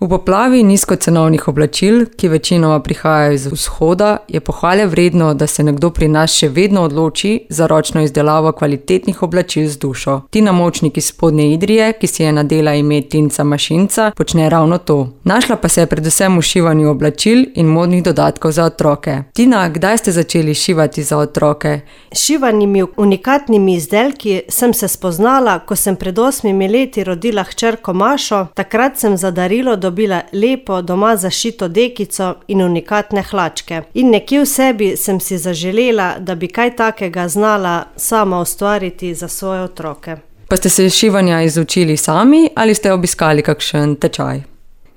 V poplavi nizkocenovnih oblačil, ki večinoma prihajajo iz vzhoda, je pohvale vredno, da se nekdo pri nas še vedno odloči za ročno izdelavo kvalitetnih oblačil z dušo. Tina Močnik iz Spodnje Idrije, ki si je nadela ime Tinca Mašinca, počne ravno to. Našla pa se je predvsem v šivanju oblačil in modnih dodatkov za otroke. Tina, kdaj ste začeli šivati za otroke? S šivanimi unikatnimi izdelki sem se spoznala, ko sem pred 8 leti rodila hčerko Mašo. Takrat sem za darilo dobila lepo doma zašito dekico in unikatne hlačke. In nekje v sebi sem si zaželela, da bi kaj takega znala sama ustvariti za svoje otroke. Pa ste se šivanja izučili sami ali ste obiskali kakšen tečaj?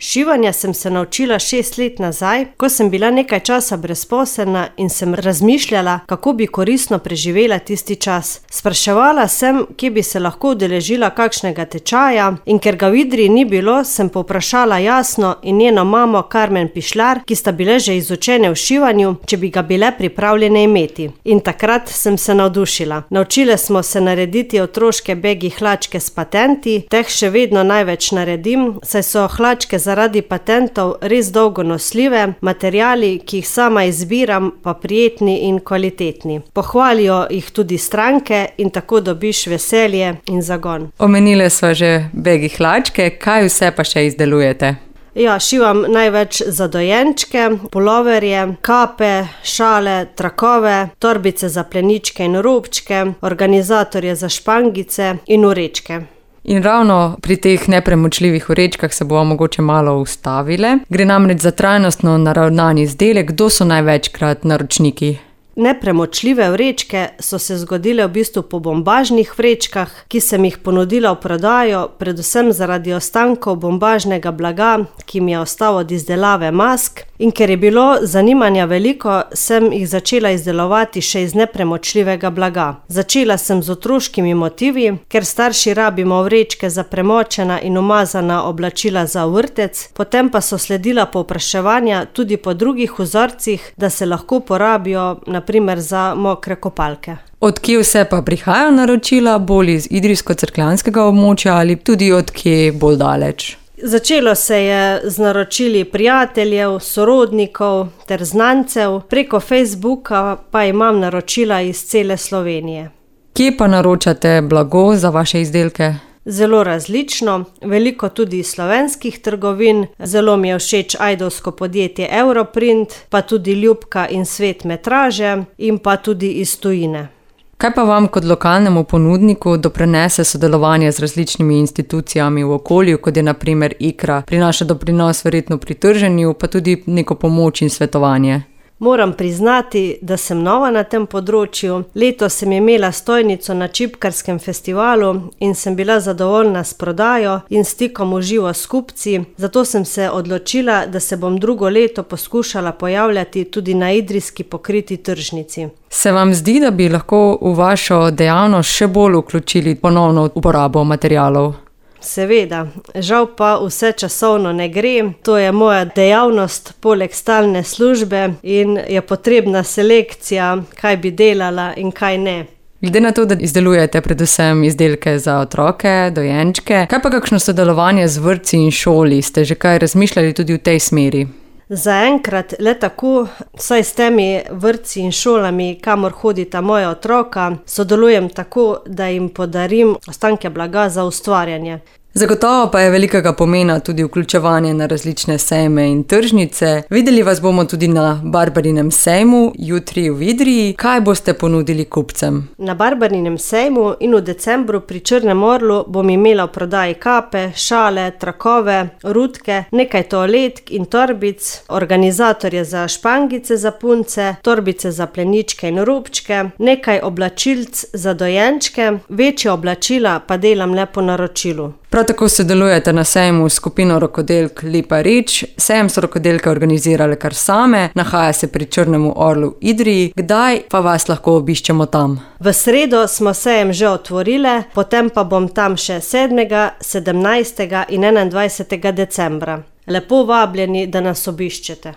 Šivanja sem se naučila 6 let nazaj, ko sem bila nekaj časa brezposelna in sem razmišljala, kako bi koristno preživela tisti čas. Spraševala sem, kje bi se lahko udeležila kakšnega tečaja, in ker ga v Idriji ni bilo, sem povprašala Jasno in njeno mamo Karmen Pišlar, ki sta bile že izučene v šivanju, če bi ga bile pripravljene imeti. In takrat sem se navdušila. Naučile smo se narediti otroške begi hlačke s patenti, teh še vedno največ naredim, saj so hlačke zaradi patentov res dolgo nosljive, materiali, ki jih sama izbiram, pa prijetni in kvalitetni. Pohvalijo jih tudi stranke in tako dobiš veselje in zagon. Omenile sva že begi hlačke, kaj vse pa še izdelujete? Ja, šivam največ za dojenčke, puloverje, kape, šale, trakove, torbice za pleničke in robčke, organizatorje za špangice in vrečke. In ravno pri teh nepremočljivih vrečkah se bomo mogoče malo ustavile. Gre namreč za trajnostno naravnan izdelek. Kdo so največkrat naročniki? Nepremočljive vrečke so se zgodile v bistvu po bombažnih vrečkah, ki sem jih ponudila v prodajo, predvsem zaradi ostankov bombažnega blaga, ki mi je ostal od izdelave mask. In ker je bilo zanimanja veliko, sem jih začela izdelovati še iz nepremočljivega blaga. Začela sem z otroškimi motivi, ker starši rabimo vrečke za premočena in umazana oblačila za vrtec, potem pa so sledila povpraševanja tudi po drugih vzorcih, da se lahko porabijo na primer za mokre kopalke. Od kje vse pa prihajajo naročila, bolj iz idrijsko-cerkljanskega območja ali tudi od kje bolj daleč? Začelo se je z naročili prijateljev, sorodnikov ter znancev, preko Facebooka pa imam naročila iz cele Slovenije. Kje pa naročate blago za vaše izdelke? Zelo različno, veliko tudi iz slovenskih trgovin, zelo mi je všeč ajdovsko podjetje Europrint, pa tudi Ljubka in Svet metraže in pa tudi iz tujine. Kaj pa vam kot lokalnemu ponudniku doprinese sodelovanje z različnimi institucijami v okolju, kot je na primer IKRA, prinaša doprinos verjetno pri trženju, pa tudi neko pomoč in svetovanje? Moram priznati, da sem nova na tem področju. Letos sem imela stojnico na Čipkarskem festivalu in sem bila zadovoljna s prodajo in stikom v živo s kupci, zato sem se odločila, da se bom drugo leto poskušala pojavljati tudi na idrijski pokriti tržnici. Se vam zdi, da bi lahko v vašo dejavnost še bolj vključili ponovno uporabo materialov? Seveda, žal pa vse časovno ne gre, to je moja dejavnost poleg stalne službe in je potrebna selekcija, kaj bi delala in kaj ne. Glede na to, da izdelujete predvsem izdelke za otroke, dojenčke, kaj pa kakšno sodelovanje z vrtci in šoli? Ste že kaj razmišljali tudi v tej smeri? Zaenkrat le tako, saj s temi vrtci in šolami, kamor hodita moja otroka, sodelujem tako, da jim podarim ostanke blaga za ustvarjanje. Zagotovo pa je velikega pomena tudi vključevanje na različne sejme in tržnice. Videli vas bomo tudi na Barbarinem sejmu, jutri v Idriji. Kaj boste ponudili kupcem? Na Barbarinem sejmu in v decembru pri Črnem orlu bom imela v prodaji kape, šale, trakove, rutke, nekaj toaletk in torbic, organizatorje za špangice za punce, torbice za pleničke in robčke, nekaj oblačilc za dojenčke, večje oblačila pa delam le po naročilu. Prav tako sodelujete na sejmu s skupino rokodelk Lipa Rič. Sejem so rokodelke organizirale kar same, nahaja se pri Črnemu orlu v Idriji. Kdaj pa vas lahko obiščemo tam? V sredo smo sejem že otvorile, potem pa bom tam še 7., 17. in 21. decembra. Lepo vabljeni, da nas obiščete.